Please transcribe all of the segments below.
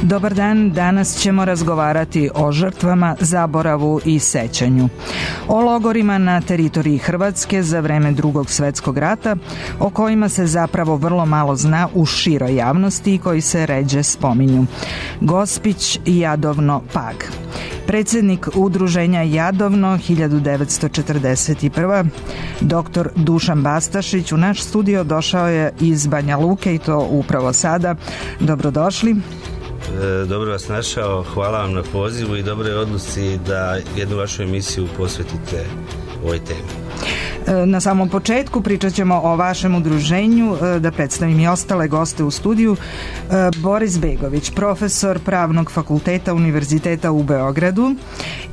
Dobar dan, danas ćemo razgovarati o žrtvama, zaboravu i sećanju. O logorima na teritoriji Hrvatske za vreme Drugog svjetskog rata, o kojima se zapravo vrlo malo zna u široj javnosti i koji se ređe spominju. Gospić, Jadovno, Pag. Predsjednik udruženja Jadovno 1941. dr. Dušan Bastašić u naš studio došao je iz Banja Luke i to upravo sada. Dobrodošli. Dobro vas našao, hvala vam na pozivu i dobroj odluci da jednu vašu emisiju posvetite ovoj temi. Na samom početku pričat ćemo o vašem udruženju, da predstavim i ostale goste u studiju. Boris Begović, profesor Pravnog fakulteta Univerziteta u Beogradu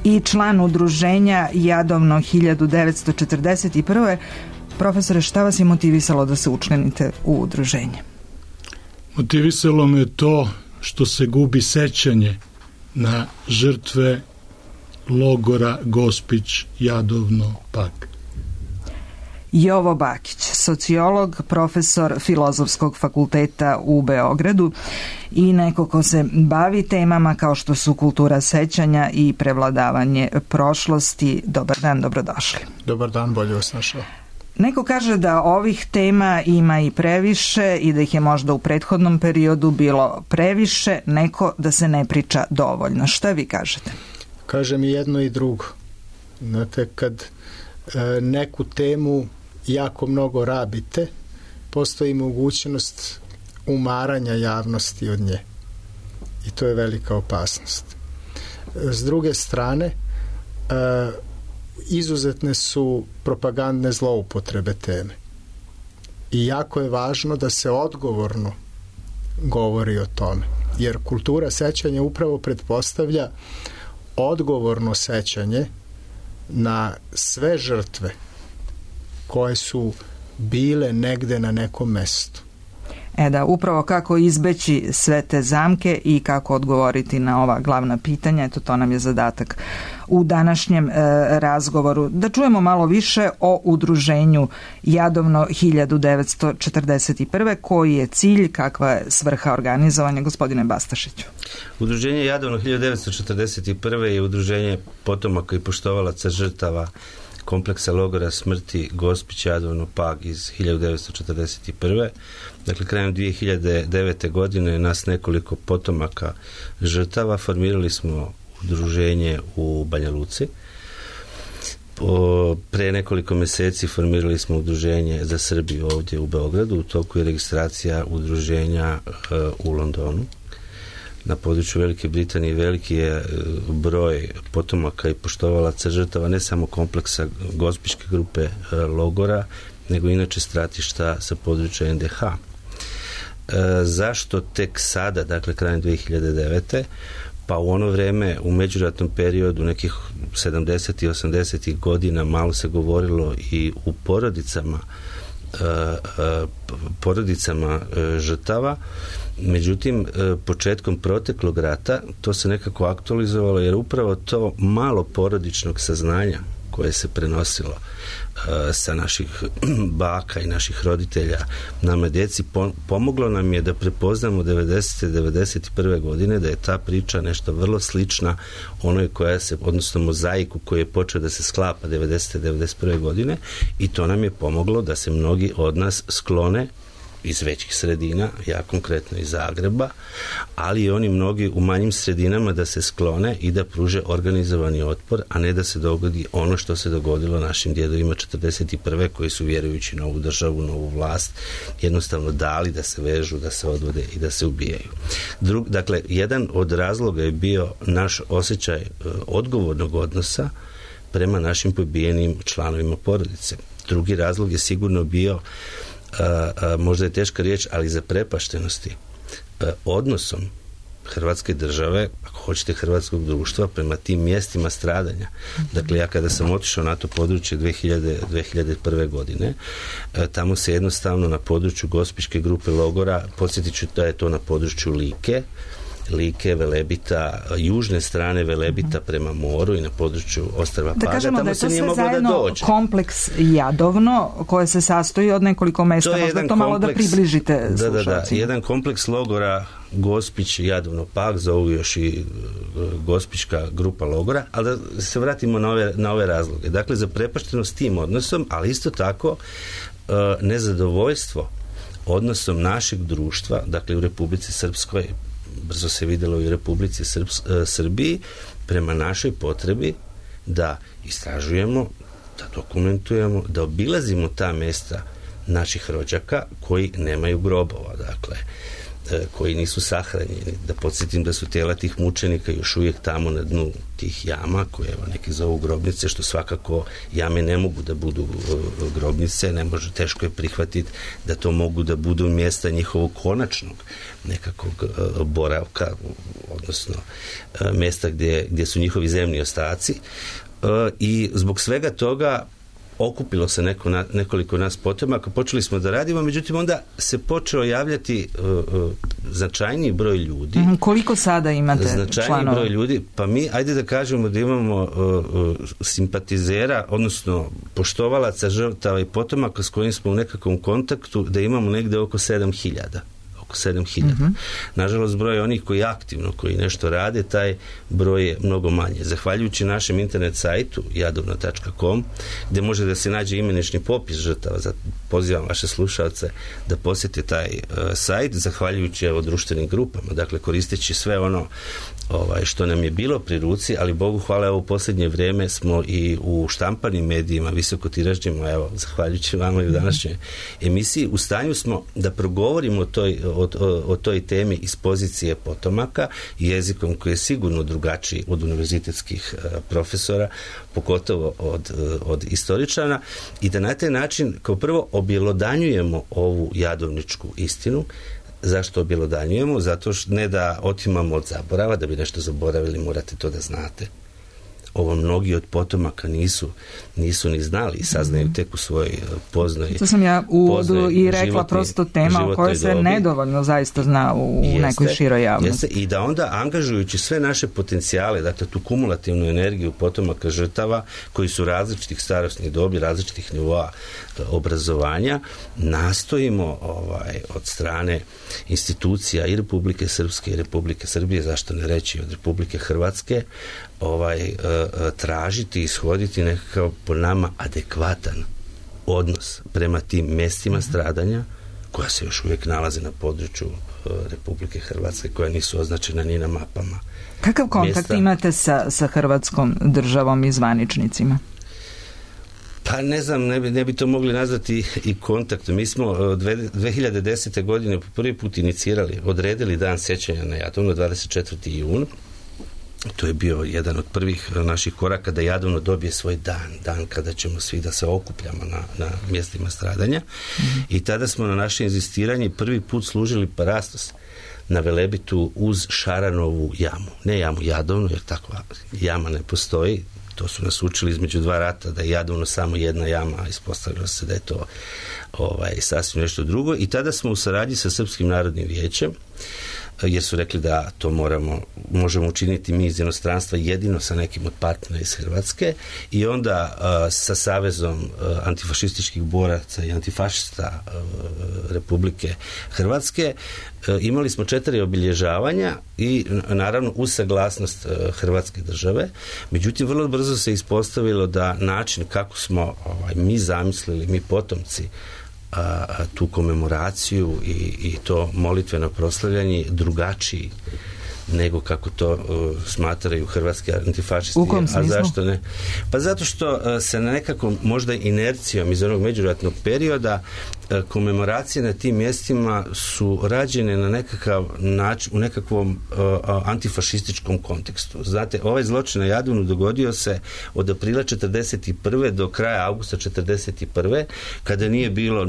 i član udruženja Jadovno 1941. Profesore, šta vas je motivisalo da se učlanite u udruženje? Motivisalo me to što se gubi sećanje na žrtve logora Gospić, Jadovno, Pag. Jovo Bakić, sociolog, profesor Filozofskog fakulteta u Beogradu i neko ko se bavi temama kao što su kultura sećanja i prevladavanje prošlosti. Dobar dan, dobrodošli. Dobar dan, bolje vas našao. Neko kaže da ovih tema ima i previše i da ih je možda u prethodnom periodu bilo previše, neko da se ne priča dovoljno. Šta vi kažete? Kažem i jedno i drugo. Znate, kad neku temu jako mnogo rabite, postoji mogućnost umaranja javnosti od nje. I to je velika opasnost. S druge strane, izuzetne su propagandne zloupotrebe teme. I jako je važno da se odgovorno govori o tome. Jer kultura sećanja upravo pretpostavlja odgovorno sećanje na sve žrtve koje su bile negde na nekom mestu. Da, upravo kako izbeći sve te zamke i kako odgovoriti na ova glavna pitanja, eto to nam je zadatak u današnjem razgovoru. Da čujemo malo više o udruženju Jadovno 1941. Koji je cilj, kakva je svrha organizovanja, gospodine Bastašiću? Udruženje Jadovno 1941. je udruženje potomaka i poštovalaca žrtava kompleksa logora smrti Gospić, Jadovno, Pag iz 1941. Dakle, krajem 2009. godine nas nekoliko potomaka žrtava formirali smo udruženje u Banja Luci. Pre nekoliko mjeseci formirali smo udruženje za Srbiju ovdje u Beogradu. U toku je registracija udruženja u Londonu. Na području Velike Britanije veliki je broj potomaka i poštovalaca žrtava ne samo kompleksa Gospićke grupe logora, nego inače stratišta sa područja NDH. Zašto tek sada, dakle krajem 2009. Pa u ono vrijeme, u međuratnom periodu nekih 70. i 80. godina malo se govorilo i u porodicama žrtava. Međutim, početkom proteklog rata to se nekako aktualizovalo jer upravo to malo porodičnog saznanja koje se prenosilo sa naših baka i naših roditelja nama djeci pomoglo nam je da prepoznamo 90. 91. godine da je ta priča nešto vrlo slična onoj koja se, odnosno mozaiku koji je počeo da se sklapa 90. 91. godine i to nam je pomoglo da se mnogi od nas sklone iz većih sredina, ja konkretno iz Zagreba, ali i oni mnogi u manjim sredinama da se sklone i da pruže organizovani otpor, a ne da se dogodi ono što se dogodilo našim djedovima 41. koji su vjerujući novu državu, novu vlast, jednostavno dali da se vežu, da se odvode i da se ubijaju. Dakle, jedan od razloga je bio naš osjećaj odgovornog odnosa prema našim pobijenim članovima porodice. Drugi razlog je sigurno bio možda je teška riječ, ali zaprepaštenosti odnosom Hrvatske države, ako hoćete hrvatskog društva, prema tim mjestima stradanja. Dakle, ja kada sam otišao na to područje 2001. godine, tamo se jednostavno na području Gospićke grupe logora, podsjetit ću da je to na području Like, Velebita, južne strane Velebita prema moru i na području ostrva Paga. Tamo se nije moglo da dođe. Kompleks Jadovno koje se sastoji od nekoliko mesta. Možda to malo da približite slušalcima. Jedan kompleks logora Gospić, Jadovno Pag, zovu još i Gospićka grupa logora, ali da se vratimo na ove razloge. Dakle, zaprepaštenost tim odnosom, ali isto tako nezadovoljstvo odnosom našeg društva, dakle u Republici Srpskoj, brzo se vidjelo i u Republici Srbiji, prema našoj potrebi da istražujemo, da dokumentujemo, da obilazimo ta mesta naših rođaka koji nemaju grobova, dakle, koji nisu sahranjeni. Da podsjetim da su tela tih mučenika još uvijek tamo na dnu tih jama, koje evo neki zovu grobnice, što svakako jame ne mogu da budu grobnice, ne može, teško je prihvatiti da to mogu da budu mjesta njihovog konačnog nekakvog boravka, odnosno mjesta gdje su njihovi zemni ostaci. I zbog svega toga okupilo se nekoliko nas potomaka, počeli smo da radimo, međutim onda se počeo javljati značajniji broj ljudi. Koliko sada imate značajniji broj ljudi? Pa mi, ajde da kažemo da imamo simpatizera, odnosno poštovalaca žrtava i potomaka s kojim smo u nekakvom kontaktu, da imamo negde oko 7.000. 7.000. Nažalost, broj onih koji aktivno, koji nešto rade, taj broj je mnogo manje. Zahvaljujući našem internet sajtu jadovno.com, gdje može da se nađe imenični popis žrtava, pozivam vaše slušalce da posjete taj sajt, zahvaljujući društvenim grupama, dakle koristeći sve ono što nam je bilo pri ruci, ali Bogu hvala, u posljednje vrijeme smo i u štampanim medijima, visokotiražnjima, zahvaljujući vama i u današnjoj emisiji, u stanju smo da progovorimo o toj temi iz pozicije potomaka, jezikom koji je sigurno drugačiji od univerzitetskih profesora, pogotovo od istoričana, i da na taj način kao prvo objelodanjujemo ovu jadovničku istinu. Zašto objelodanjujemo? Zato što ne da otimamo od zaborava, da bi nešto zaboravili, morate to da znate. Ovo mnogi od potomaka nisu ni znali i saznaju tek u svojoj poznoj. To sam ja u uvodu i rekla, prosto tema o kojoj se nedovoljno zaista zna u nekoj široj javnosti. I da onda, angažujući sve naše potencijale, dakle tu kumulativnu energiju potomaka žrtava koji su različitih starosnih dobi, različitih nivoa obrazovanja, nastojimo od strane institucija i Republike Srpske i Republike Srbije, zašto ne reći od Republike Hrvatske, tražiti i ishoditi nekakav po nama adekvatan odnos prema tim mjestima stradanja koja se još uvijek nalaze na području Republike Hrvatske, koja nisu označena ni na mapama. Kakav kontakt imate sa Hrvatskom državom i zvaničnicima? Pa ne znam, ne bi to mogli nazvati i kontaktom. Mi smo 2010. godine po prvi put inicirali, odredili dan sjećanja na Jadovno, 24. jun. To je bio jedan od prvih naših koraka da Jadovno dobije svoj dan kada ćemo svi da se okupljamo na mjestima stradanja. I tada smo na naše inzistiranje prvi put služili parastos na Velebitu uz Šaranovu jamu. Ne jamu Jadovno, jer takva jama ne postoji. To su nas učili između dva rata, da je Jadovno samo jedna jama, a ispostavilo se da je to sasvim nešto drugo. I tada smo u saradnji sa Srpskim narodnim vijećem, jer su rekli da to možemo učiniti mi iz inostranstva jedino sa nekim od partnera iz Hrvatske, i onda sa Savezom antifašističkih boraca i antifašista Republike Hrvatske imali smo 4 obilježavanja i naravno uz saglasnost Hrvatske države. Međutim, vrlo brzo se ispostavilo da način kako smo mi zamislili, mi potomci, tu komemoraciju i to molitveno proslavljanje drugačiji nego kako to smatraju hrvatski antifašisti. U kom smislu? A zašto ne? Pa zato što se na nekakvom možda inercijom iz onog međuratnog perioda komemoracije na tim mjestima su rađene na nekakav način, u nekakvom antifašističkom kontekstu. Znate, ovaj zločin na Jadovnu dogodio se od aprila 1941. do kraja avgusta 1941. kada nije bilo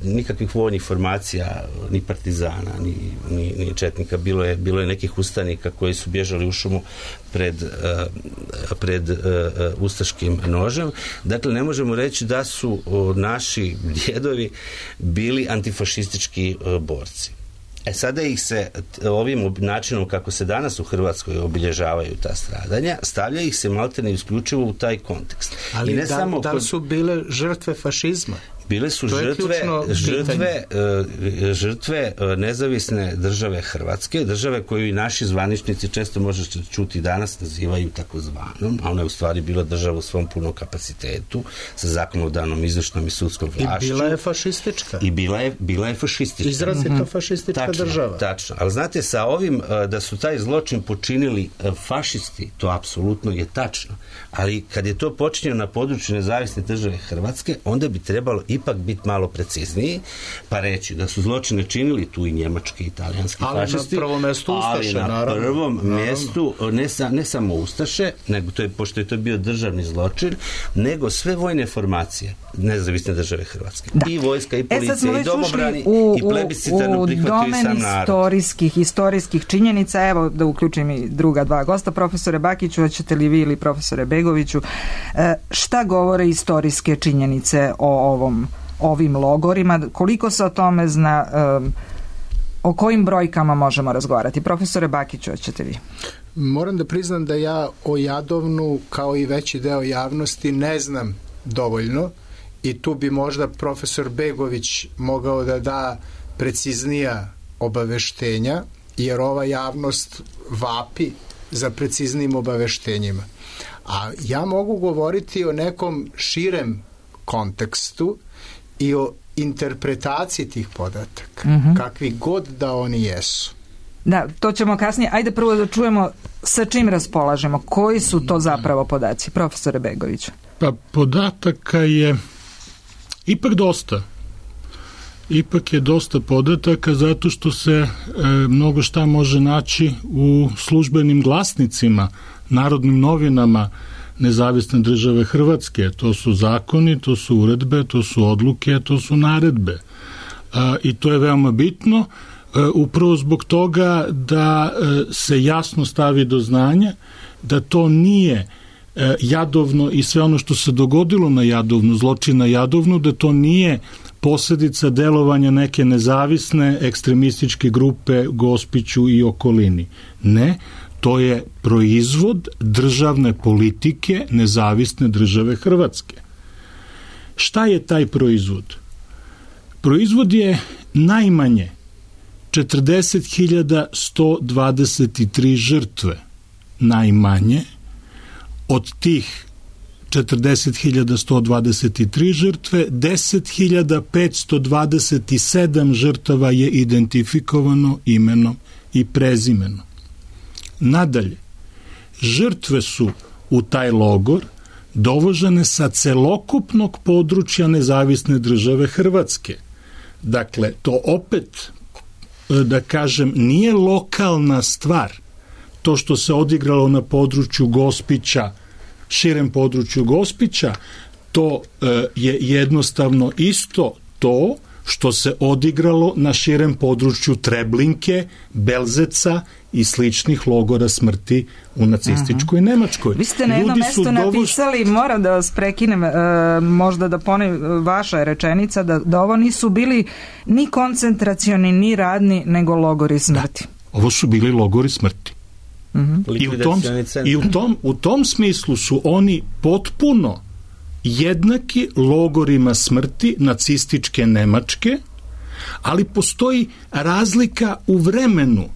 nikakvih vojnih formacija, ni partizana, ni četnika. Bilo je nekih ustanika koji su bježali u šumu pred ustaškim nožem. Dakle, ne možemo reći da su naši djedovi bili antifašistički borci. Sada ih se ovim načinom kako se danas u Hrvatskoj obilježavaju ta stradanja, stavlja ih se maltene isključivo u taj kontekst. Ali da li su bile žrtve fašizma? Bile su žrtve nezavisne države Hrvatske, države koju i naši zvaničnici često možete čuti danas nazivaju takozvanom, a ona je u stvari bila država u svom punom kapacitetu sa zakonodavnom, izvršnom i sudskom vlašću. I bila je fašistička. Bila je fašistička. Izrazito fašistička država. Tačno. Ali znate, sa ovim da su taj zločin počinili fašisti, to apsolutno je tačno. Ali kad je to počinjeno na području nezavisne države Hrvatske, onda bi trebalo ipak biti malo precizniji, pa reći da su zločine činili tu i njemački i italijanski fašisti. Ali na prvom mjestu Ustaše, naravno. Ali na prvom mjestu, ne samo Ustaše, nego pošto je to bio državni zločin, nego sve vojne formacije nezavisne države Hrvatske. Da. I vojska, i policija, i domobrani, i plebiscitarno prihvatio i sam narod. Istorijskih činjenica, evo da uključim i druga dva gosta, profesore Bakiću, hoćete li vi ili profesore Begoviću, šta govore istorijske činjenice o ovim logorima, koliko se o tome zna, o kojim brojkama možemo razgovarati? Profesore Bakiću, hoćete vi? Moram da priznam da ja o Jadovnu, kao i veći deo javnosti, ne znam dovoljno i tu bi možda profesor Begović mogao da da preciznija obaveštenja, jer ova javnost vapi za preciznijim obaveštenjima. A ja mogu govoriti o nekom širem kontekstu i o interpretaciji tih podataka, kakvi god da oni jesu. Da, to ćemo kasnije. Ajde prvo da čujemo sa čim raspolažemo. Koji su to zapravo podaci? Profesore Begoviću. Pa podataka je ipak dosta. Ipak je dosta podataka zato što se mnogo šta može naći u službenim glasnicima, Narodnim novinama Nezavisne države Hrvatske. To su zakoni, to su uredbe, to su odluke, to su naredbe. I to je veoma bitno, upravo zbog toga da se jasno stavi do znanja da to nije Jadovno i sve ono što se dogodilo na Jadovnu, zločin na Jadovnu, da to nije posljedica delovanja neke nezavisne ekstremističke grupe Gospiću i okolini. Ne, to je proizvod državne politike Nezavisne države Hrvatske. Šta je taj proizvod? Proizvod je najmanje 40.123 žrtve. Najmanje od tih 40.123 žrtve, 10.527 žrtava je identifikovano imenom i prezimenom. Nadalje, žrtve su u taj logor dovožene sa celokupnog područja Nezavisne države Hrvatske. Dakle, to opet, da kažem, nije lokalna stvar. To što se odigralo na području Gospića, širem području Gospića, to je jednostavno isto to što se odigralo na širem području Treblinke, Belzeca i sličnih logora smrti u nacističkoj Nemačkoj. Vi ste na jednom mestu napisali, moram da vas prekinem, možda da ponovim, vaša je rečenica da ovo nisu bili ni koncentracioni, ni radni, nego logori smrti. Da, ovo su bili logori smrti. I u tom smislu su oni potpuno jednaki logorima smrti nacističke Nemačke, ali postoji razlika u vremenu.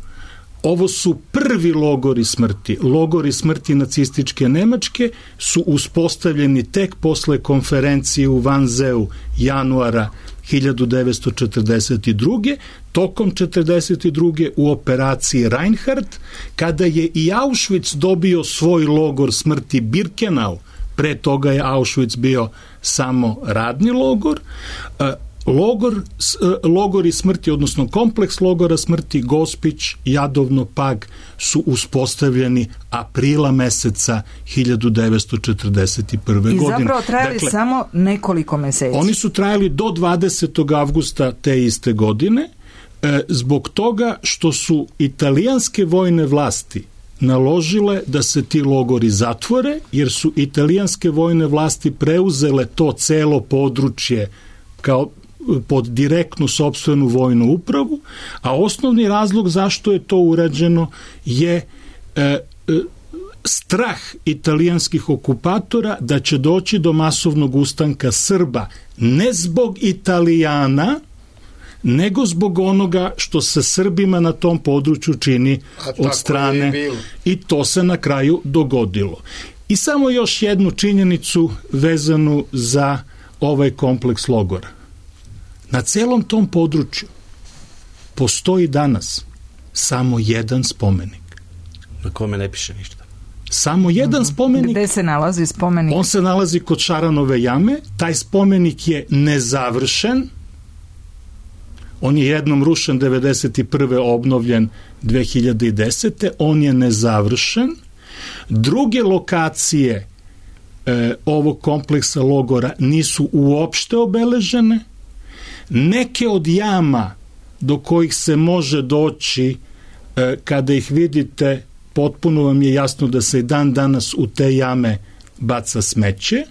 Ovo su prvi logori smrti. Logori smrti nacističke Nemačke su uspostavljeni tek posle konferencije u Wannseu januara 1942. Tokom 1942. u operaciji Reinhardt, kada je i Auschwitz dobio svoj logor smrti Birkenau, pre toga je Auschwitz bio samo radni logor, logori smrti, odnosno kompleks logora smrti Gospić, Jadovno, Pag su uspostavljeni aprila meseca 1941. godine. I zapravo trajali samo nekoliko meseci. Oni su trajali do 20. avgusta te iste godine, zbog toga što su italijanske vojne vlasti naložile da se ti logori zatvore, jer su italijanske vojne vlasti preuzele to celo područje kao pod direktnu sopstvenu vojnu upravu, a osnovni razlog zašto je to urađeno je strah italijanskih okupatora da će doći do masovnog ustanka Srba, ne zbog Italijana, nego zbog onoga što se Srbima na tom području čini od strane, i to se na kraju dogodilo. I samo još jednu činjenicu vezanu za ovaj kompleks logora. Na celom tom području postoji danas samo jedan spomenik. Na kome ne piše ništa. Samo jedan spomenik. Gde se nalazi spomenik? On se nalazi kod Šaranove jame. Taj spomenik je nezavršen. On je jednom rušen 1991. obnovljen 2010. On je nezavršen. Druge lokacije ovog kompleksa logora nisu uopšte obeležene. Neke od jama do kojih se može doći, kada ih vidite, potpuno vam je jasno da se i dan danas u te jame baca smeće,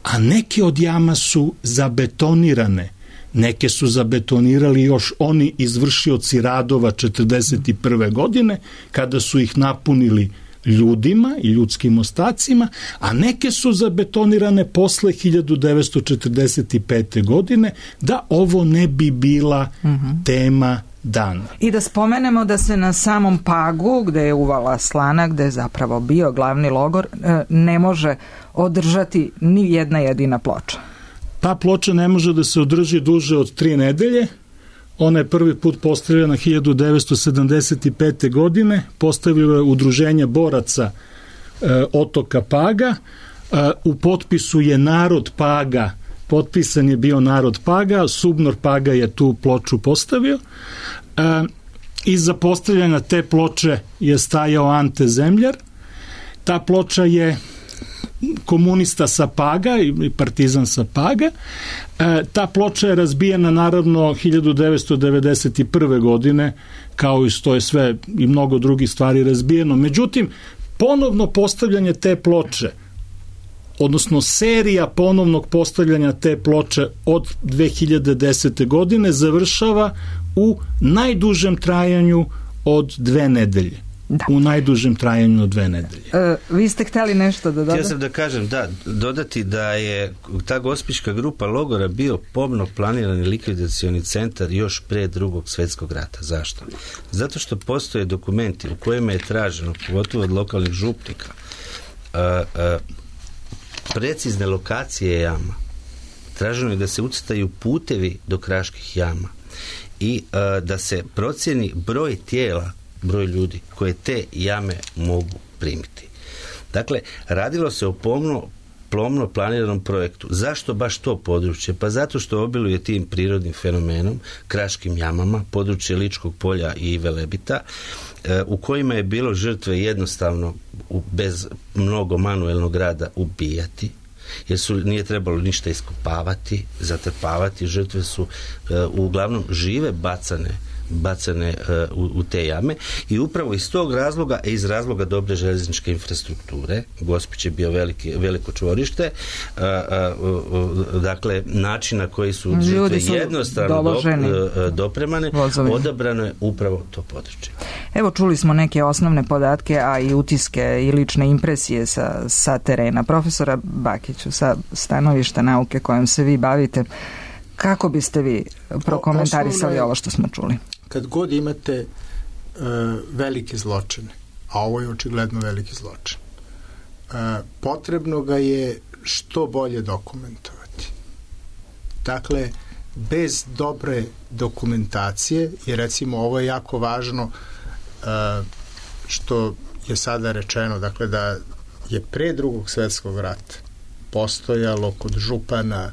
a neke od jama su zabetonirane. Neke su zabetonirali još oni izvršioci radova 1941. godine, kada su ih napunili ljudima i ljudskim ostacima, a neke su zabetonirane posle 1945. godine, da ovo ne bi bila tema dana. I da spomenemo da se na samom Pagu, gde je uvala slana, gde je zapravo bio glavni logor, ne može održati ni jedna jedina ploča. Ta ploča ne može da se održi duže od 3 nedelje. Ona je prvi put postavljena 1975. godine. Postavilo je Udruženje boraca otoka Paga. U potpisu je narod Paga, potpisan je bio narod Paga, Subnor Paga je tu ploču postavio. Iza postavljanja te ploče je stajao Ante Zemljar. Ta ploča je komunista sa Paga i partizan sa Paga. Ta ploča je razbijena naravno 1991. godine, kao i što je sve i mnogo drugih stvari razbijeno. Međutim, ponovno postavljanje te ploče, odnosno serija ponovnog postavljanja te ploče od 2010. godine završava u najdužem trajanju od 2 nedelje. Da. U najdužem trajanju od 2 nedelje. Vi ste hteli nešto da dodate? Htio sam da kažem, dodati da je ta gospićka grupa logora bio pomno planirani likvidacioni centar još pre Drugog svjetskog rata. Zašto? Zato što postoje dokumenti u kojima je traženo, pogotovo od lokalnih župnika, precizne lokacije jama. Traženo je da se ucrtaju putevi do kraških jama i da se procjeni broj tijela, broj ljudi koje te jame mogu primiti. Dakle, radilo se o pomno planiranom projektu. Zašto baš to područje? Pa zato što obiluje tim prirodnim fenomenom, kraškim jamama, područje Ličkog polja i Velebita, u kojima je bilo žrtve jednostavno bez mnogo manuelnog rada ubijati, jer nije trebalo ništa iskopavati, zatrpavati. Žrtve su uglavnom žive bacane u te jame i upravo iz tog razloga, iz razloga dobre željezničke infrastrukture, Gospić je bio veliko čvorište, dakle način na koji su žrtve jednostavno dopremane, odabrano je upravo to područje. Evo, čuli smo neke osnovne podatke, a i utiske i lične impresije sa terena. Profesora Bakiću, sa stanovišta nauke kojom se vi bavite, kako biste vi prokomentarisali ovo što smo čuli? Kad god imate velike zločine, a ovo je očigledno veliki zločin, potrebno ga je što bolje dokumentovati. Dakle, bez dobre dokumentacije, i recimo ovo je jako važno što je sada rečeno, dakle da je pre Drugog svjetskog rata postojalo kod župana,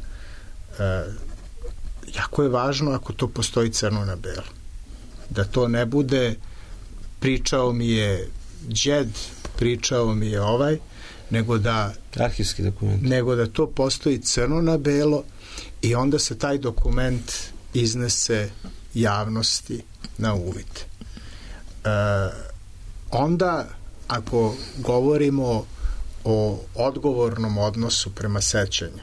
jako je važno ako to postoji crno na belo. Da to ne bude pričao mi je đed, pričao mi je ovaj, nego da arhivski dokument, nego da to postoji crno na belo i onda se taj dokument iznese javnosti na uvid. Onda ako govorimo o odgovornom odnosu prema sećanju,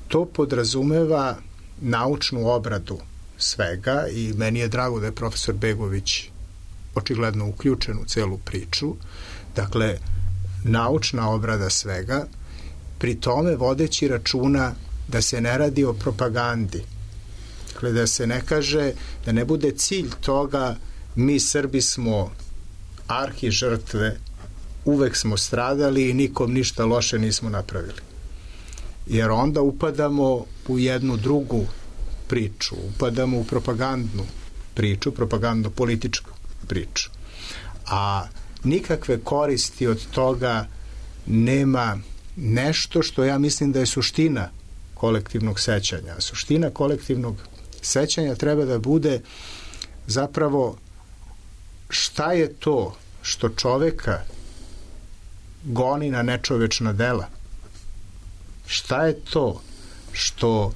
to podrazumeva naučnu obradu svega i meni je drago da je profesor Begović očigledno uključen u celu priču, dakle, naučna obrada svega, pri tome vodeći računa da se ne radi o propagandi. Dakle, da se ne kaže, da ne bude cilj toga mi Srbi smo arhi žrtve, uvek smo stradali i nikom ništa loše nismo napravili. Jer onda upadamo u jednu drugu priču, upadamo u propagandnu priču, propagandno-političku priču. A nikakve koristi od toga nema nešto što ja mislim da je suština kolektivnog sećanja. Suština kolektivnog sećanja treba da bude zapravo šta je to što čoveka goni na nečovečna dela. Šta je to što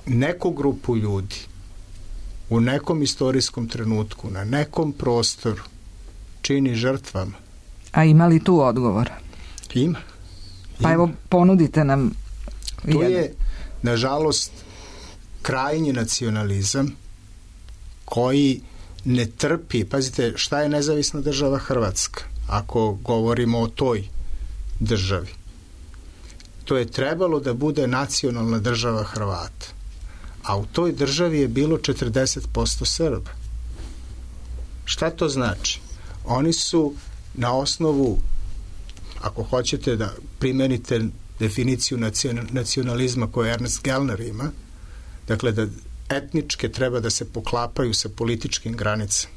neku grupu ljudi u nekom istorijskom trenutku, na nekom prostoru čini žrtvama. A ima li tu odgovor? Ima. Pa evo, ponudite nam to je, nažalost, krajnji nacionalizam koji ne trpi, pazite, šta je nezavisna država Hrvatska, ako govorimo o toj državi. To je trebalo da bude nacionalna država Hrvata. A u toj državi je bilo 40% Srba. Šta to znači? Oni su na osnovu, ako hoćete da primenite definiciju nacionalizma koju Ernest Gellner ima, dakle da etničke treba da se poklapaju sa političkim granicama.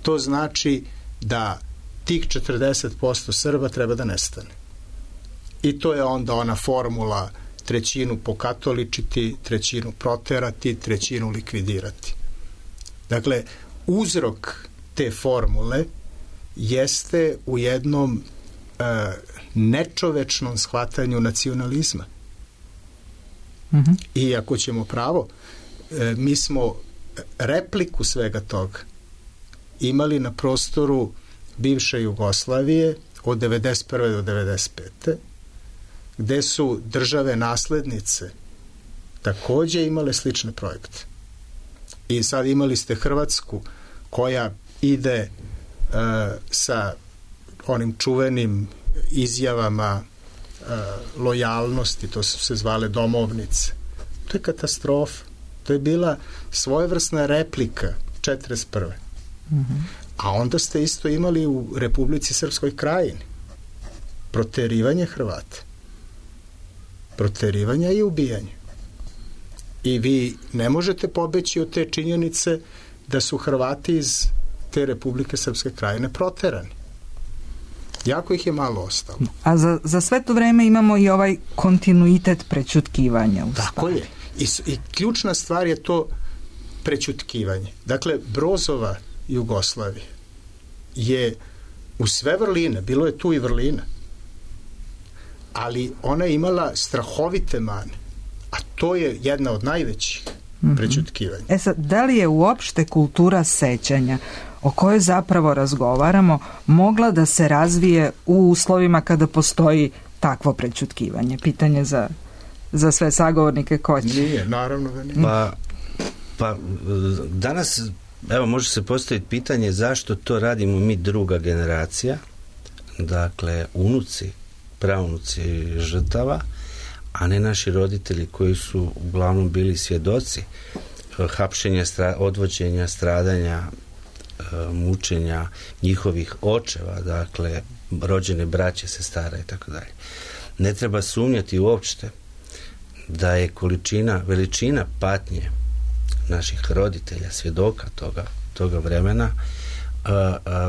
To znači da tih 40% Srba treba da nestane. I to je onda ona formula trećinu pokatoličiti, trećinu proterati, trećinu likvidirati. Dakle, uzrok te formule jeste u jednom nečovečnom shvatanju nacionalizma. I ako ćemo pravo, mi smo repliku svega toga imali na prostoru bivše Jugoslavije od 1991. do 1995. gde su države naslednice takođe imale slične projekte. I sad imali ste Hrvatsku koja ide sa onim čuvenim izjavama lojalnosti, to su se zvale domovnice. To je katastrofa. To je bila svojevrsna replika 1941. A onda ste isto imali u Republici Srpskoj Krajini proterivanje Hrvata. Proterivanja i ubijanja. I vi ne možete pobeći od te činjenice da su Hrvati iz te Republike Srpske Krajine proterani. Jako ih je malo ostalo. A za sve to vreme imamo i ovaj kontinuitet prećutkivanja. Tako je. I ključna stvar je to prećutkivanje. Dakle, Brozova Jugoslavija je u sve vrline, bilo je tu i vrlina, ali ona je imala strahovite mane, a to je jedna od najvećih prećutkivanja. E sad, da li je uopšte kultura sećanja o kojoj zapravo razgovaramo mogla da se razvije u uslovima kada postoji takvo prećutkivanje? Pitanje za sve sagovornike ko će. Nije, naravno da nije. Pa danas, evo, može se postaviti pitanje zašto to radimo mi druga generacija, dakle unuci, praunuci žrtava, a ne naši roditelji koji su uglavnom bili svjedoci hapšenja, odvođenja, stradanja, mučenja njihovih očeva, dakle rođene braće, sestara i tako dalje. Ne treba sumnjati uopšte da je veličina patnje naših roditelja, svjedoka toga vremena,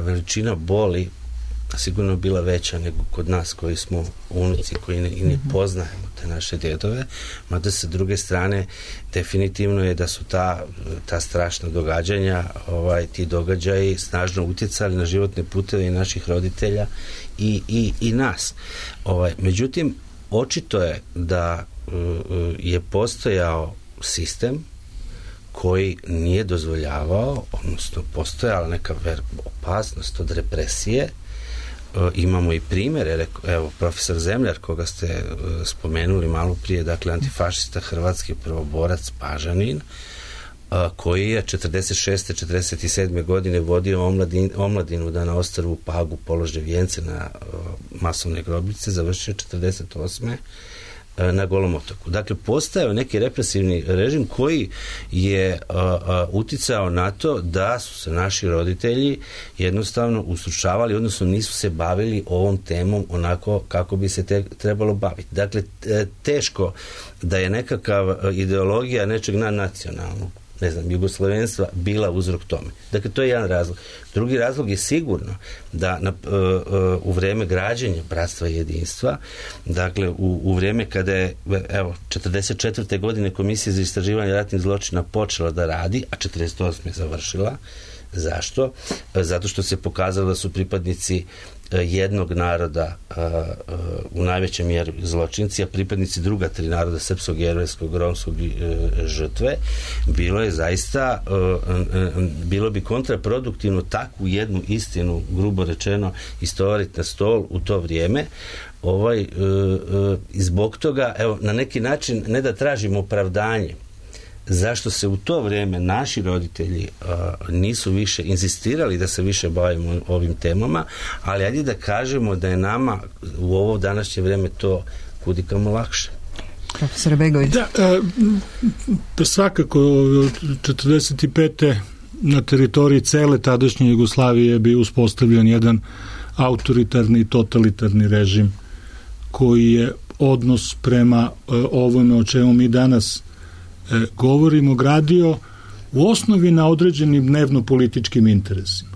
veličina boli sigurno bila veća nego kod nas koji smo unuci, koji ne poznajemo te naše djedove, mada sa druge strane definitivno je da su ta strašna događanja, ti događaji snažno utjecali na životne puteve i naših roditelja i nas. Međutim, očito je da je postojao sistem koji nije dozvoljavao, odnosno postojala neka opasnost od represije. Imamo i primjere, evo profesor Zemljar koga ste spomenuli malo prije, dakle antifašista hrvatski prvoborac Pažanin, koji je 46. 47. godine vodio omladinu da na ostrvu Pagu polože vijence na masovne grobnice, završio 48. na Golom otoku. Dakle, postajao neki represivni režim koji je uticao na to da su se naši roditelji jednostavno ustručavali, odnosno nisu se bavili ovom temom onako kako bi se trebalo baviti. Dakle, teško da je nekakav ideologija nečeg nadnacionalnog, ne znam, jugoslavenstva bila uzrok tome. Dakle, to je jedan razlog. Drugi razlog je sigurno da u vreme građenja Bratstva i jedinstva, dakle, u vreme kada je, evo, 44. godine Komisija za istraživanje ratnih zločina počela da radi, a 48. je završila. Zašto? Zato što se pokazalo da su pripadnici jednog naroda u najvećem mjeri zločinci, a pripadnici druga tri naroda, srpskog, jevrejskog, romskog žrtve, bilo bi kontraproduktivno takvu jednu istinu, grubo rečeno, istovariti na stol u to vrijeme. I zbog toga, evo, na neki način, ne da tražimo opravdanje zašto se u to vrijeme naši roditelji nisu više inzistirali da se više bavimo ovim temama, ali ajde da kažemo da je nama u ovo današnje vrijeme to kudikamo lakše. Profesor Begović. Da, svakako 45. na teritoriji cele tadašnje Jugoslavije je bio uspostavljen jedan autoritarni i totalitarni režim koji je odnos prema ovome o čemu mi danas govorimo gradio u osnovi na određenim dnevno-političkim interesima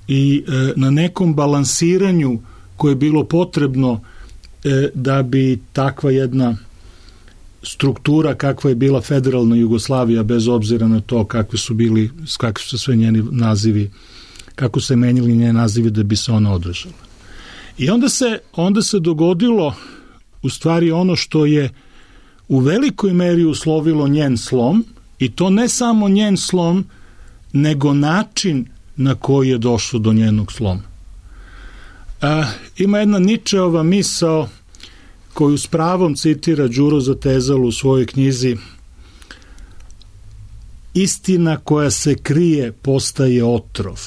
i na nekom balansiranju koje je bilo potrebno da bi takva jedna struktura kakva je bila federalna Jugoslavija, bez obzira na to kakvi su sve njeni nazivi, kako se menjali njeni nazivi da bi se ona održala. I onda se dogodilo u stvari ono što je u velikoj meri uslovilo njen slom, i to ne samo njen slom, nego način na koji je došlo do njenog sloma. Ima jedna Ničeova misao koju s pravom citira Đuro Zatezalu u svojoj knjizi: istina koja se krije postaje otrov.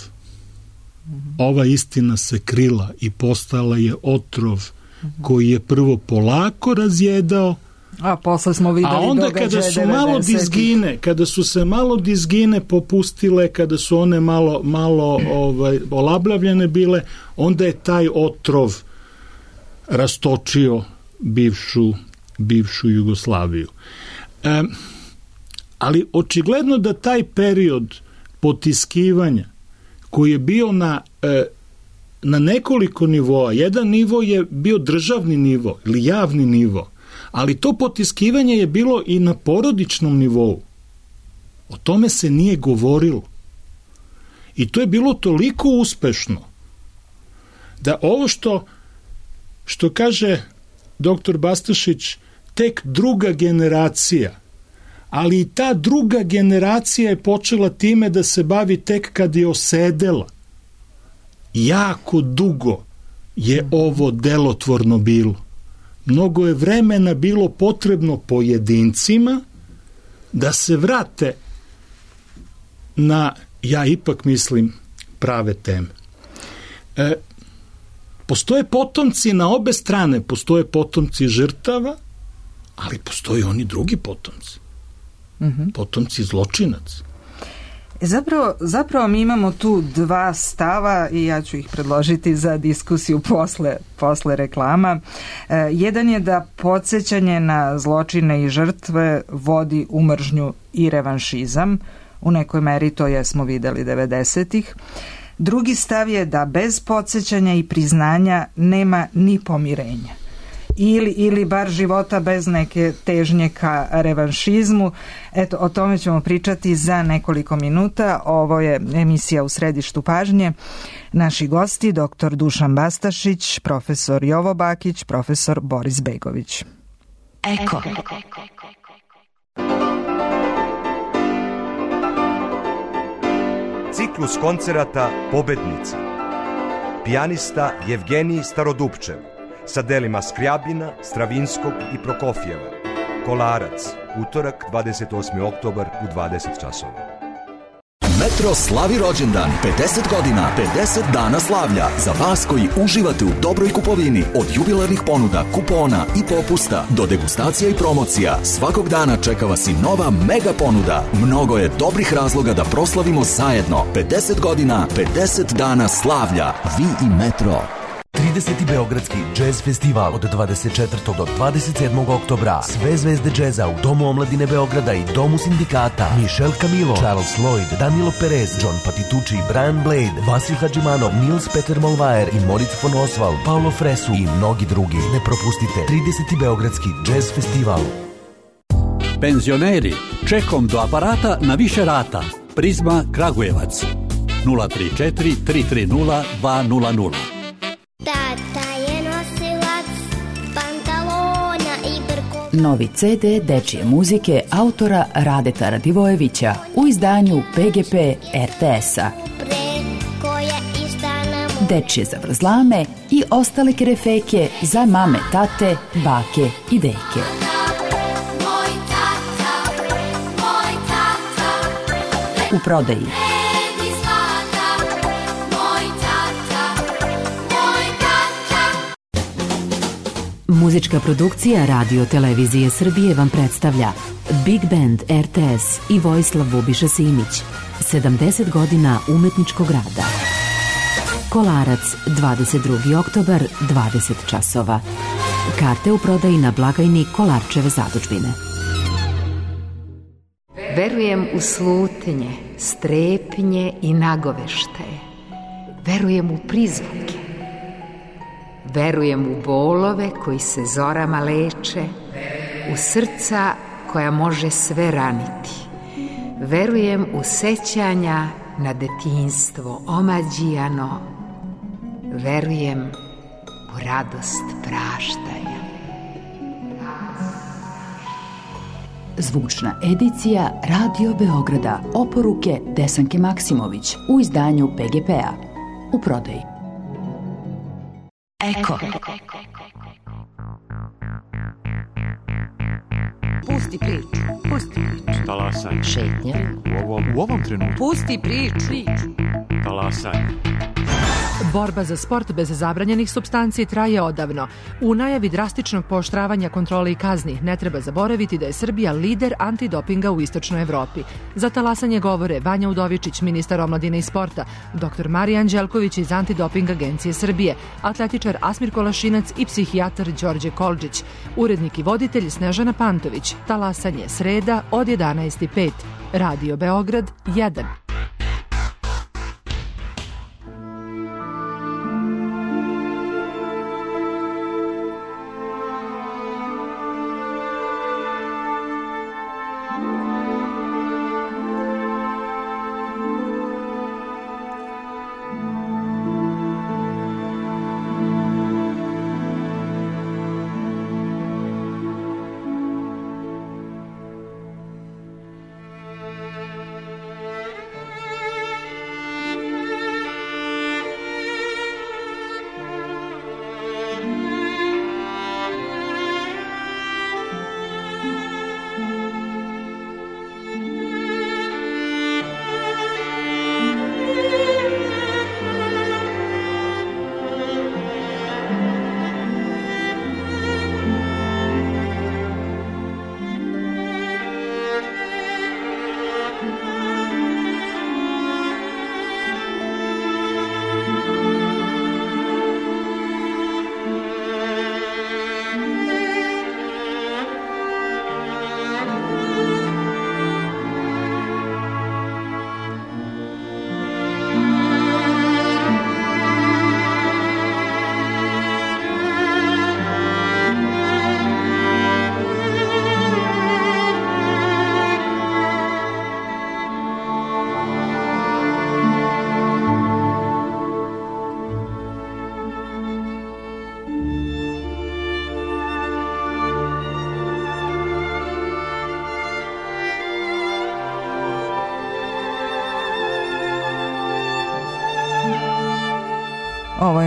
Ova istina se krila i postala je otrov koji je prvo polako razjedao, a posle smo videli, a onda kada su se malo dizgine popustile, kada su one malo olablavljene bile, onda je taj otrov rastočio bivšu Jugoslaviju. Ali očigledno da taj period potiskivanja koji je bio na nekoliko nivoa, jedan nivo je bio državni nivo ili javni nivo, ali to potiskivanje je bilo i na porodičnom nivou. O tome se nije govorilo. I to je bilo toliko uspešno da ovo što kaže doktor Bastašić, tek druga generacija, ali i ta druga generacija je počela time da se bavi tek kad je osedela. Jako dugo je ovo delotvorno bilo. Mnogo je vremena bilo potrebno pojedincima da se vrate na, ja ipak mislim, prave teme. Postoje potomci na obe strane, postoje potomci žrtava, ali postoje oni drugi potomci. Potomci zločinaca. Zapravo mi imamo tu dva stava i ja ću ih predložiti za diskusiju posle reklama. Jedan je da podsjećanje na zločine i žrtve vodi u mržnju i revanšizam. U nekoj meri to jesmo videli 90-ih. Drugi stav je da bez podsjećanja i priznanja nema ni pomirenja. Ili bar života bez neke težnje ka revanšizmu. Eto, o tome ćemo pričati za nekoliko minuta. Ovo je emisija U središtu pažnje. Naši gosti, dr. Dušan Bastašić, profesor Jovo Bakić, profesor Boris Begović. Eko. Ciklus koncerata Pobednica. Pijanista Jevgenij Starodupčev sa delima Skrjabina, Stravinskog i Prokofjeva. Kolarac, utorak 28. oktobar u 20 časova. Metro slavi rođendan, 50 godina, 50 dana slavlja. Za vas koji uživate u dobroj kupovini, od jubilarnih ponuda, kupona i popusta do degustacija i promocija, svakog dana čeka vas i nova mega ponuda. Mnogo je dobrih razloga da proslavimo zajedno. 50 godina, 50 dana slavlja. Vi i Metro. 30. Beogradski džez festival od 24. do 27. oktobra. Sve zvezde džeza u Domu omladine Beograda i Domu sindikata. Michel Camilo, Charles Lloyd, Danilo Perez, John Patitucci, Brian Blade, Vasil Hadžimanov, Nils Peter Molvaer i Moritz von Oswald, Paolo Fresu i mnogi drugi. Ne propustite 30. Beogradski džez festival. Penzioneri, čekom do aparata na više rata. Prizma Kragujevac 034 330 200. Tata je nosilac pantalona i brko. Novi CD dečije muzike autora Radeta Radivojevića u izdanju PGP RTS-a. Dečije zavrzlame i ostale kerefeke za mame, tate, bake i deke. U prodaji muzička produkcija Radio Televizije Srbije vam predstavlja Big Band RTS i Vojislav Bubiša Simić. 70 godina umetničkog rada. Kolarac, 22. oktobar, 20 časova. Karte u prodaji na blagajni Kolarčeve zadužbine. Verujem u slutnje, strepnje i nagoveštaje. Verujem u prizvuke. Verujem u bolove koji se zorama leče, u srca koja može sve raniti. Verujem u sećanja na detinjstvo omađijano. Verujem u radost praštanja. Zvučna edicija Radio Beograda. Oporuke Desanke Maksimović u izdanju PGP-a. U prodaji. Eko. Pusti priču. Pusti priču. Talasaj. Šetnja. U ovom trenutku. Pusti priču. Talasaj. Borba za sport bez zabranjenih supstanci traje odavno. U najavi drastičnog pooštravanja kontrole i kazni ne treba zaboraviti da je Srbija lider antidopinga u istočnoj Evropi. Za talasanje govore Vanja Udovičić, ministar omladine i sporta, dr. Marija Anđelković iz Antidoping agencije Srbije, atletičar Asmir Kolašinac i psihijatar Đorđe Kolđić, urednik i voditelj Snežana Pantović. Talasanje sreda od 11:05. Radio Beograd 1.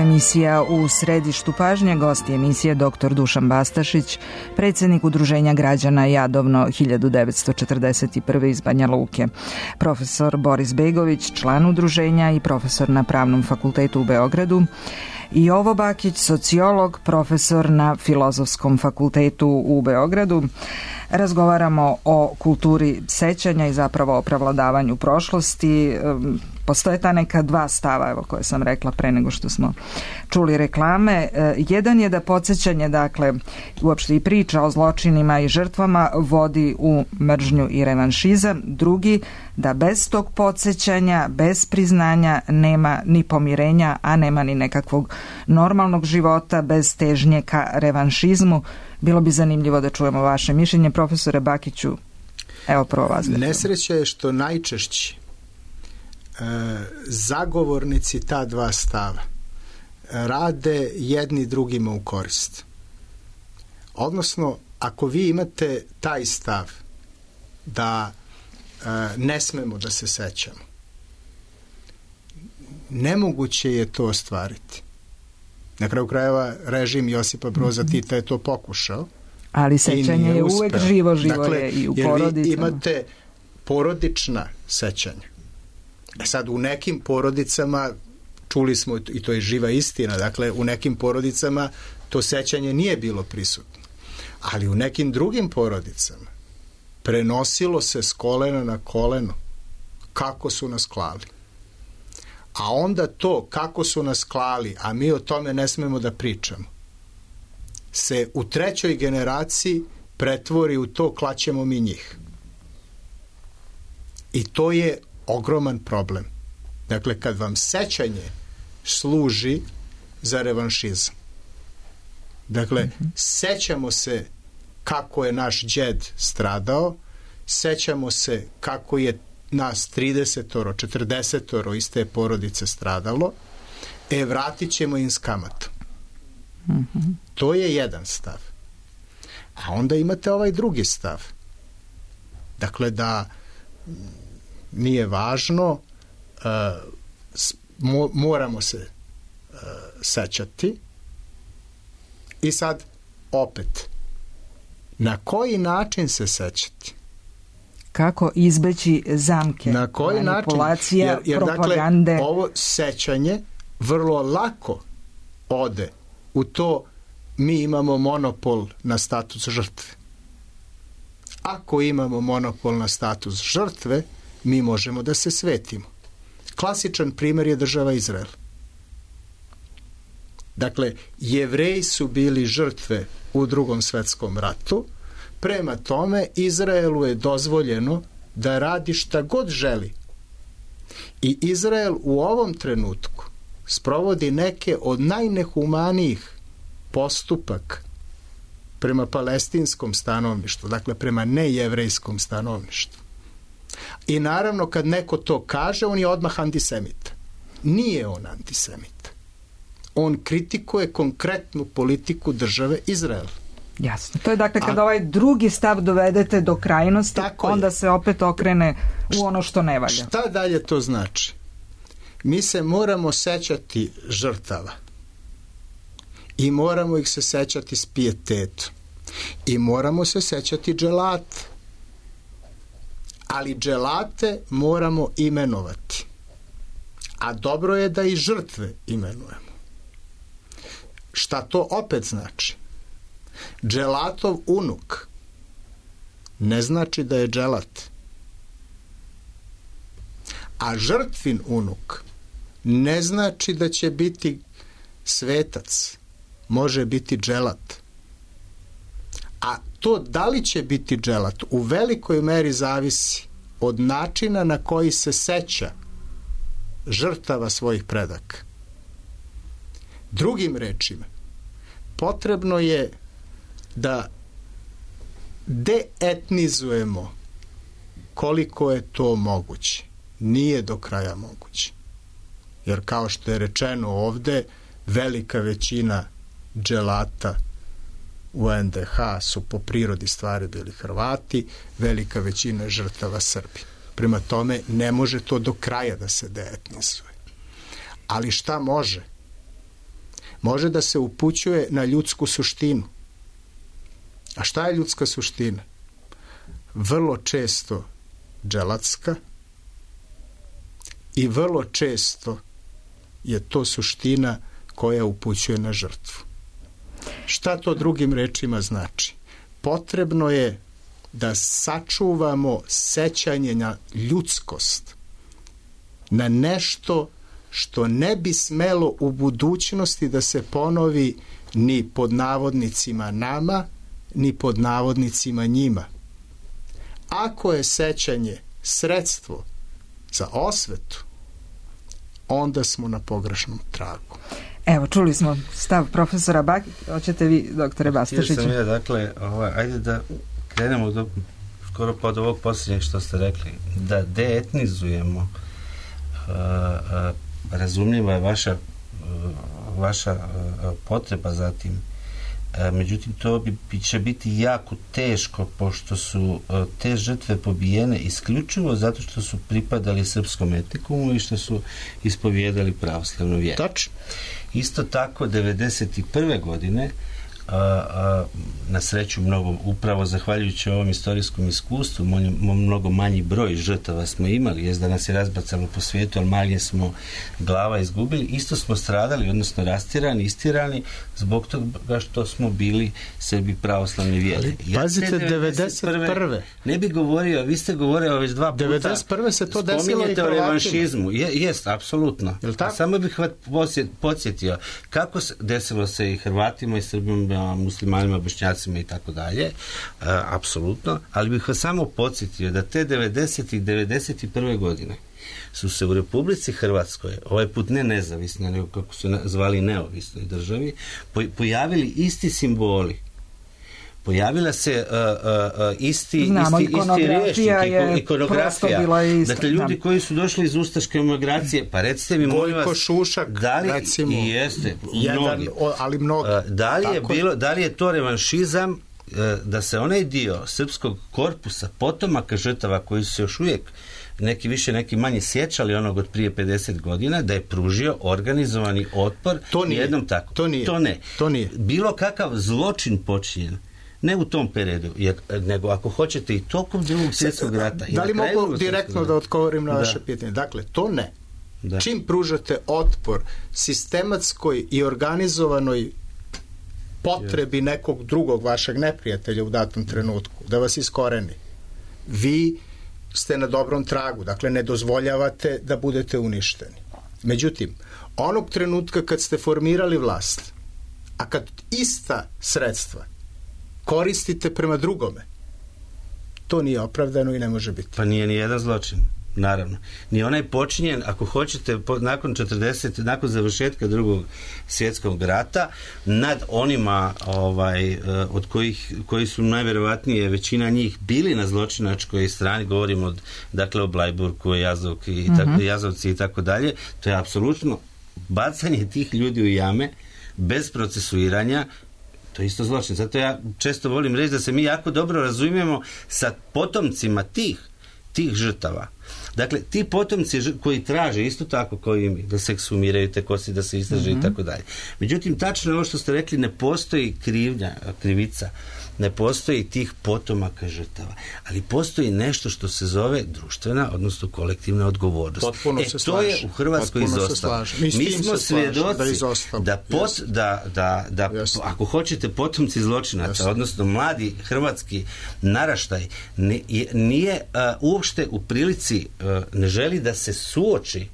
emisija U središtu pažnje. Gost je emisije dr. Dušan Bastašić, predsjednik Udruženja građana Jadovno 1941. iz Banja Luke. Profesor Boris Begović, član udruženja i profesor na Pravnom fakultetu u Beogradu. I Jovo Bakić, sociolog, profesor na Filozofskom fakultetu u Beogradu. Razgovaramo o kulturi sećanja i zapravo o prevladavanju prošlosti. Postoje ta neka dva stava, evo, koje sam rekla pre nego što smo čuli reklame. Jedan je da podsjećanje, dakle, uopšte i priča o zločinima i žrtvama vodi u mržnju i revanšizam. Drugi, da bez tog podsjećanja, bez priznanja nema ni pomirenja, a nema ni nekakvog normalnog života bez težnje ka revanšizmu. Bilo bi zanimljivo da čujemo vaše mišljenje. Profesore Bakiću, evo prvo vas. Nesreća je što najčešće zagovornici ta dva stava rade jedni drugima u korist. Odnosno, ako vi imate taj stav da ne smemo da se sećamo, nemoguće je to ostvariti. Na kraju krajeva režim Josipa Broza Tita je to pokušao. Ali sećanje je uvek živo dakle, je i u porodicama. Vi imate porodična sećanja. Sad u nekim porodicama, čuli smo, i to je živa istina, dakle u nekim porodicama to sećanje nije bilo prisutno. Ali u nekim drugim porodicama prenosilo se s kolena na koleno kako su nas klali. A onda to kako su nas klali, a mi o tome ne smemo da pričamo, se u trećoj generaciji pretvori u to klaćemo mi njih. I to je ogroman problem. Dakle, kad vam sećanje služi za revanšizam. Dakle, sećamo se kako je naš đed stradao, sećamo se kako je nas 30-oro, 40-oro iz te porodice stradalo, vratit ćemo im s kamatom. To je jedan stav. A onda imate ovaj drugi stav. Dakle, da nije važno, moramo se sećati. I sad, opet, na koji način se sećati? Kako izbeći zamke, na koji manipulacija, način? Jer propagande. Dakle, ovo sećanje vrlo lako ode u to mi imamo monopol na status žrtve. Ako imamo monopol na status žrtve, mi možemo da se svetimo. Klasičan primjer je država Izrael. Dakle, Jevreji su bili žrtve u Drugom svetskom ratu, prema tome Izraelu je dozvoljeno da radi šta god želi. I Izrael u ovom trenutku sprovodi neke od najnehumanijih postupaka prema palestinskom stanovništvu, dakle prema nejevrejskom stanovništvu. I naravno kad neko to kaže, on je odmah antisemit. Nije on antisemit. On kritikuje konkretnu politiku države Izrael. Jasno. To je dakle kad ovaj drugi stav dovedete do krajnosti, onda se opet okrene u ono što ne valja. Šta dalje to znači? Mi se moramo sećati žrtava. I moramo ih se sećati s pijetetom. I moramo se sećati dželata. Ali dželate moramo imenovati. A dobro je da i žrtve imenujemo. Šta to opet znači? Dželatov unuk ne znači da je dželat. A žrtvin unuk ne znači da će biti svetac. Može biti dželat. A to da li će biti dželat u velikoj meri zavisi od načina na koji se seća žrtava svojih predaka. Drugim rečima, potrebno je da deetnizujemo koliko je to moguće. Nije do kraja moguće. Jer kao što je rečeno ovde, velika većina dželata u NDH su po prirodi stvari bili Hrvati, velika većina žrtava Srbi. Prema tome, ne može to do kraja da se deetnizuje. Ali šta može? može da se upućuje na ljudsku suštinu. A šta je ljudska suština? Vrlo često dželatska i vrlo često je to suština koja upućuje na žrtvu. Šta to drugim rečima znači? Potrebno je da sačuvamo sećanje na ljudskost, na nešto što ne bi smelo u budućnosti da se ponovi ni pod navodnicima nama, ni pod navodnicima njima. Ako je sećanje sredstvo za osvetu, onda smo na pogrešnom tragu. Evo, čuli smo stav profesora Bakić, hoćete vi, doktore Bastašiću? Htio sam ja, dakle, ajde da krenemo skoro pa od ovog posljednjeg što ste rekli, da deetnizujemo. Razumljiva je vaša potreba za tim. Međutim, to će biti jako teško, pošto su te žrtve pobijene isključivo zato što su pripadali srpskom etnikumu i što su ispovijedali pravoslavnu vjeru. Tačno. Isto tako, 1991. godine, na sreću upravo zahvaljujući ovom istorijskom iskustvu, mnogo manji broj žrtava smo imali, jest da nas je razbacalo po svijetu, ali manje smo glava izgubili, isto smo stradali, odnosno rastirani, istirani, zbog toga što smo bili Srbi pravoslavne vjere. Pazite, 1991. Ne bi govorio, vi ste govorili već 2 puta. 1991. se to desilo i spominjete o Hrvatima. revanšizmu. Jest, apsolutno. Samo bih vas podsjetio kako desilo se i Hrvatima i Srbima, muslimanima, bošnjacima i tako dalje, apsolutno, ali bih vas samo podsjetio da te 90. i 91. godine su se u Republici Hrvatskoj, ovaj put ne nezavisno, nego kako su zvali neovisnoj državi, pojavili isti simboli. Pojavila se isti rječnik, ikonografija. Dakle, ljudi koji su došli iz ustaške emigracije, pa recite mi, molim vas, Gojko Šušak, recimo, jeste, jedan, ali mnogi. Da li je to revanšizam, da se onaj dio srpskog korpusa, potomaka žrtava koji su se još uvijek neki više, neki manje sjećali onog od prije 50 godina, da je pružio organizovani otpor jednom tako? To nije. Bilo kakav zločin počinjen, ne u tom periodu, nego ako hoćete i tokom Drugog svjetskog rata. Da li mogu direktno da odgovorim na vaše pitanje? Dakle, to ne. Da. Čim pružate otpor sistematskoj i organizovanoj potrebi nekog drugog vašeg neprijatelja u datom trenutku, da vas iskoreni, vi ste na dobrom tragu, dakle ne dozvoljavate da budete uništeni. Međutim, onog trenutka kad ste formirali vlast, a kad ista sredstva koristite prema drugome, to nije opravdano i ne može biti. Pa nije ni jedan zločin, naravno. Ni onaj počinjen, ako hoćete, nakon završetka Drugog svjetskog rata, nad onima od koji su najvjerovatnije većina njih bili na zločinačkoj strani, govorimo o Blajburku, Jazovci i tako dalje, to je apsolutno bacanje tih ljudi u jame bez procesuiranja. To je isto zločin. Zato ja često volim reći da se mi jako dobro razumijemo sa potomcima tih žrtava. Dakle, ti potomci koji traže isto tako kao i mi, da se ekshumiraju te kosti, da se istraže i tako dalje. Međutim, tačno ovo što ste rekli, ne postoji krivica, ne postoji tih potomaka žrtava, ali postoji nešto što se zove društvena, odnosno kolektivna odgovornost. To je u Hrvatskoj izostalo. Mi smo svjedoci da ako hoćete potomci zločinaca, odnosno mladi hrvatski naraštaj, nije uopšte u prilici, ne želi da se suoči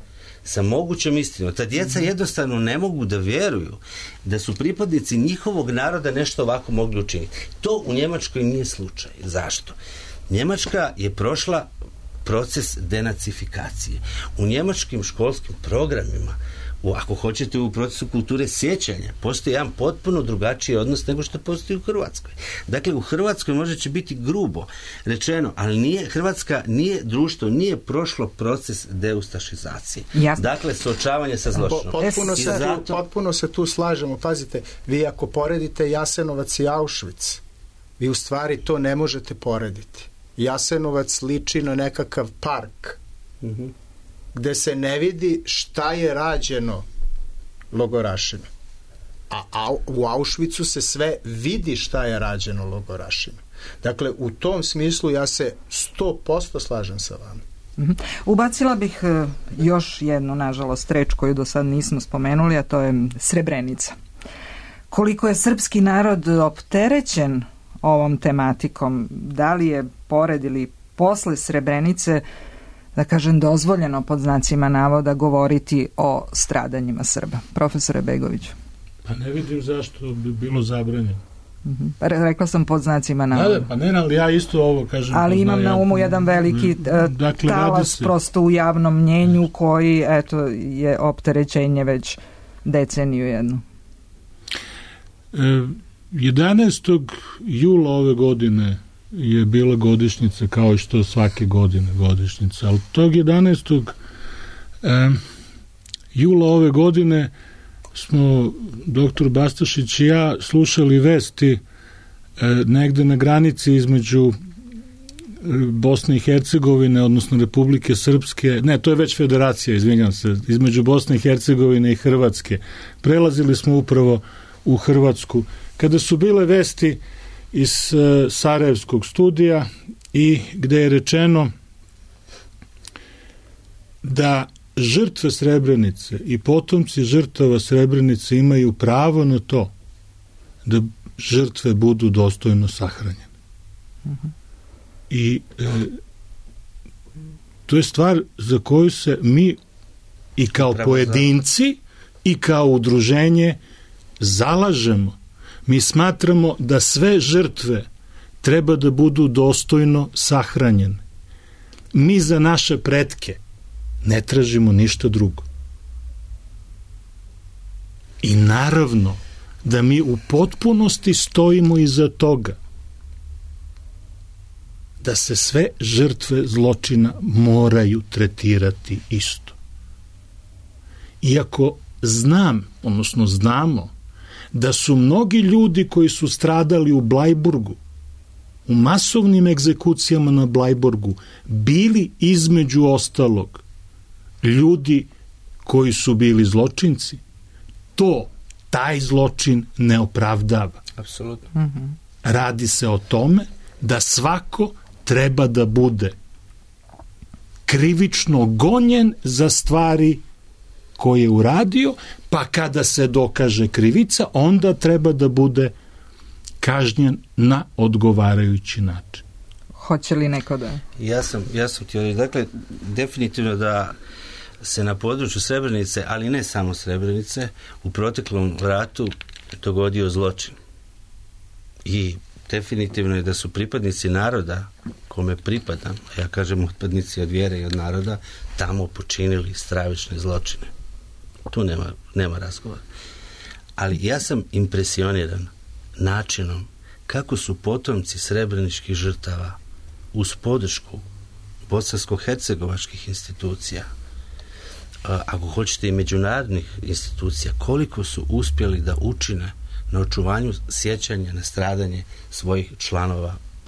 sa mogućom istinom. Ta djeca jednostavno ne mogu da vjeruju da su pripadnici njihovog naroda nešto ovako mogli učiniti. To u Njemačkoj nije slučaj. Zašto? Njemačka je prošla proces denacifikacije. U njemačkim školskim programima, ako hoćete u procesu kulture sjećanja, postoji jedan potpuno drugačiji odnos nego što postoji u Hrvatskoj. Dakle, u Hrvatskoj možda će biti grubo rečeno, ali Hrvatska nije društvo, nije prošlo proces deustašizacije. Jasne. Dakle, suočavanje sa zločinom. Potpuno se tu slažemo. Pazite, vi ako poredite Jasenovac i Auschwitz, vi u stvari to ne možete porediti. Jasenovac liči na nekakav park, gde se ne vidi šta je rađeno logorašima. a u Auschwitzu se sve vidi šta je rađeno logorašima. Dakle, u tom smislu ja se 100% slažem sa vama. Ubacila bih još jednu, nažalost, reč koju do sad nismo spomenuli, a to je Srebrenica. Koliko je srpski narod opterećen ovom tematikom, da li je pored ili posle Srebrenice, da kažem, dozvoljeno pod znacima navoda govoriti o stradanjima Srba? Profesore Begoviću. Pa ne vidim zašto bi bilo zabranjeno. Rekla sam pod znacima navoda. Pa ne, ali ja isto ovo kažem. Ali imam na umu jedan veliki talas prosto u javnom mnjenju koji, eto, je opterećenje već deceniju jednu. 11. jula ove godine je bila godišnjica, kao i što svake godine godišnjica, ali tog 11. Jula ove godine smo doktor Bastašić i ja slušali vesti negde na granici između Bosne i Hercegovine, odnosno Republike Srpske, ne, to je već federacija, izvinjam se, između Bosne i Hercegovine i Hrvatske. Prelazili smo upravo u Hrvatsku, kada su bile vesti iz Sarajevskog studija i gde je rečeno da žrtve Srebrenice i potomci žrtava Srebrenice imaju pravo na to da žrtve budu dostojno sahranjene. I to je stvar za koju se mi i kao pojedinci i kao udruženje zalažemo. Mi smatramo da sve žrtve treba da budu dostojno sahranjene. Mi za naše pretke ne tražimo ništa drugo. I naravno da mi u potpunosti stojimo iza toga da se sve žrtve zločina moraju tretirati isto. Iako znamo da su mnogi ljudi koji su stradali u Blajburgu, u masovnim egzekucijama na Blajburgu, bili između ostalog ljudi koji su bili zločinci, taj zločin ne opravdava. Apsolutno. Radi se o tome da svako treba da bude krivično gonjen za stvari koje je uradio, pa kada se dokaže krivica, onda treba da bude kažnjen na odgovarajući način. Hoće li neko da... Ja sam htio reći, dakle, definitivno da se na području Srebrenice, ali ne samo Srebrenice, u proteklom ratu dogodio zločin. I definitivno je da su pripadnici naroda kome pripadam, a ja kažem pripadnici od vjere i od naroda, tamo počinili stravične zločine. Tu nema razgovora. Ali ja sam impresioniran načinom kako su potomci srebreničkih žrtava uz podršku bosansko-hercegovačkih institucija, ako hoćete i međunarodnih institucija, koliko su uspjeli da učine na očuvanju sjećanja na stradanje svojih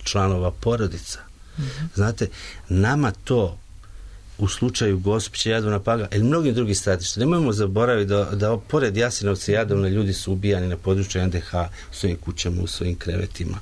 članova porodica. Znate, nama to u slučaju Gospića, Jadovna, Paga ili mnogim drugih stratišta. Nemojmo zaboraviti da pored Jasenovca i Jadovna ljudi su ubijani na području NDH u svojim kućama, u svojim krevetima,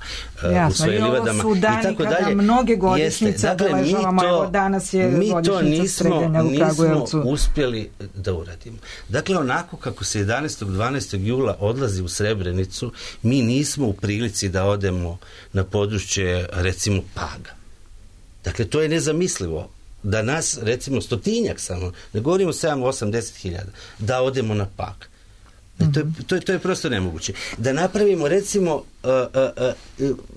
u svojim livadama i tako dalje. Mnoge godišnjice obeležavamo, evo danas je godišnjica streljanja u Kragujevcu. Mi to nismo uspjeli da uradimo. Dakle, onako kako se 11. 12. jula odlazi u Srebrenicu, mi nismo u prilici da odemo na područje, recimo, Paga. Dakle, to je nezamislivo. Da nas, recimo, 100-tinjak samo, ne govorimo 7-8-10 hiljada, da odemo na Pag. To je prosto nemoguće. Da napravimo, recimo,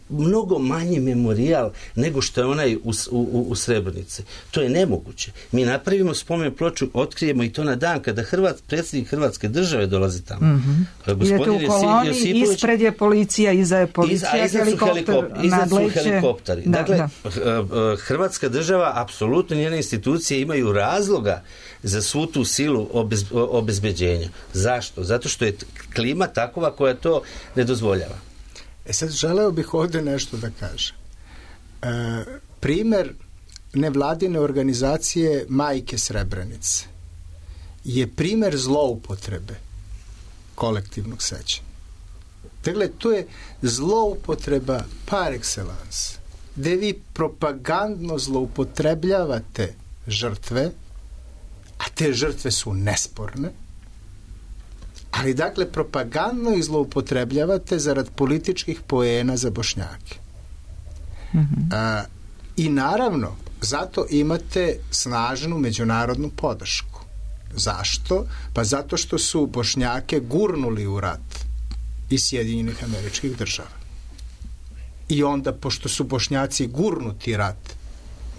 mnogo manji memorijal nego što je onaj u Srebrenici. To je nemoguće. Mi napravimo spomen ploču, otkrijemo i to na dan kada predsjednik Hrvatske države dolazi tamo. Idete u koloni, ispred je policija, iza je policija, iza su helikopteri. Dakle, Hrvatska država, apsolutno njene institucije imaju razloga za svu tu silu obezbeđenja. Zašto? Zato što je klima takova koja to ne dozvoljava. Sad želeo bih ovdje nešto da kažem. Primer nevladine organizacije Majke Srebrenice je primer zloupotrebe kolektivnog sećanja. Dakle, to je zloupotreba par excellence, gde vi propagandno zloupotrebljavate žrtve, a te žrtve su nesporne, ali dakle propagandno ih zloupotrebljavate zarad političkih poena za Bošnjake. I naravno, zato imate snažnu međunarodnu podršku. Zašto? Pa zato što su Bošnjake gurnuli u rat iz Sjedinjenih Američkih Država. I onda, pošto su Bošnjaci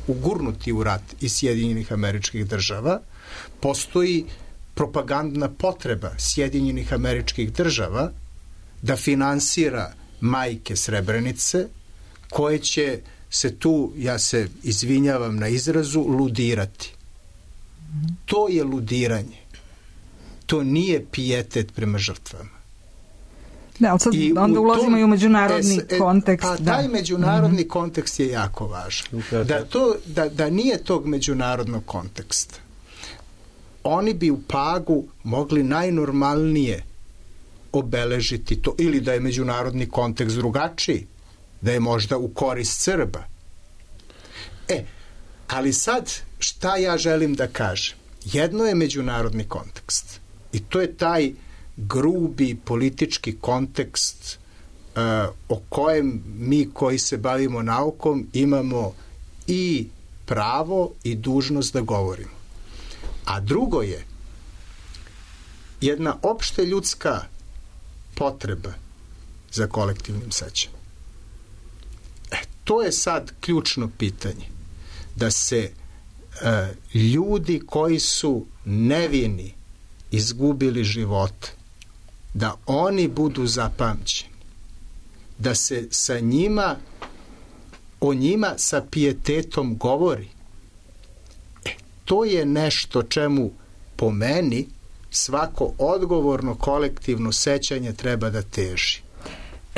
ugurnuti u rat iz Sjedinjenih Američkih Država, postoji propagandna potreba Sjedinjenih Američkih Država da finansira majke Srebrenice, koje će se tu, ja se izvinjavam na izrazu, ludirati. To je ludiranje. To nije pijetet prema žrtvama. Da, ali sad onda ulazimo i u međunarodni kontekst. Taj međunarodni kontekst je jako važan. Da nije tog međunarodnog konteksta, oni bi u Pagu mogli najnormalnije obeležiti to, ili da je međunarodni kontekst drugačiji, da je možda u korist Srba. Ali sad, šta ja želim da kažem? Jedno je međunarodni kontekst i to je taj grubi politički kontekst o kojem mi koji se bavimo naukom imamo i pravo i dužnost da govorimo. A drugo je jedna opšte ljudska potreba za kolektivnim sećanjem. To je sad ključno pitanje. Da se ljudi koji su nevini izgubili živote, da oni budu zapamćeni, da se o njima sa pijetetom govori. To je nešto čemu, po meni, svako odgovorno kolektivno sećanje treba da teži.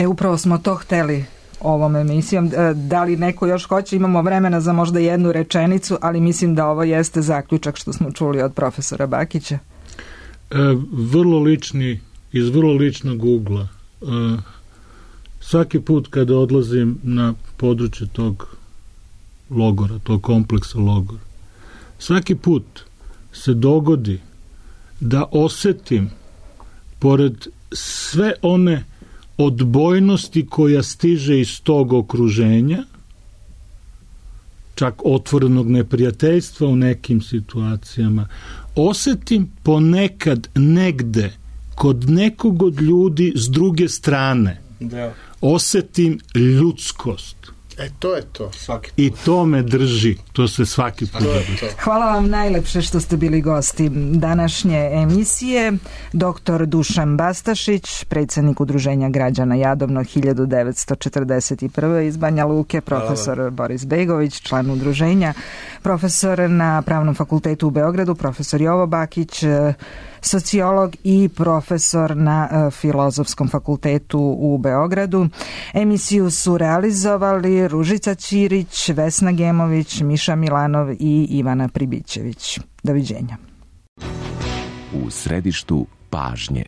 Upravo smo to hteli ovom emisijom. Da li neko još hoće? Imamo vremena za možda jednu rečenicu, ali mislim da ovo jeste zaključak što smo čuli od profesora Bakića. Iz vrlo ličnog ugla. Svaki put kada odlazim na područje tog logora, tog kompleksa logora, svaki put se dogodi da osetim, pored sve one odbojnosti koja stiže iz tog okruženja, čak otvorenog neprijateljstva u nekim situacijama, osetim ponekad negde kod nekog od ljudi s druge strane, osetim ljudskost. To je to. I to me drži. To se svaki put drži. Hvala vam najlepše što ste bili gosti današnje emisije. Dr. Dušan Bastašić, predsjednik Udruženja građana Jadovno 1941. iz Banja Luke, profesor Boris Begović, član udruženja, profesor na Pravnom fakultetu u Beogradu, profesor Jovo Bakić, sociolog i profesor na Filozofskom fakultetu u Beogradu. Emisiju su realizovali Ružica Ćirić, Vesna Gemović, Miša Milanov i Ivana Pribićević. Doviđenja. U središtu pažnje.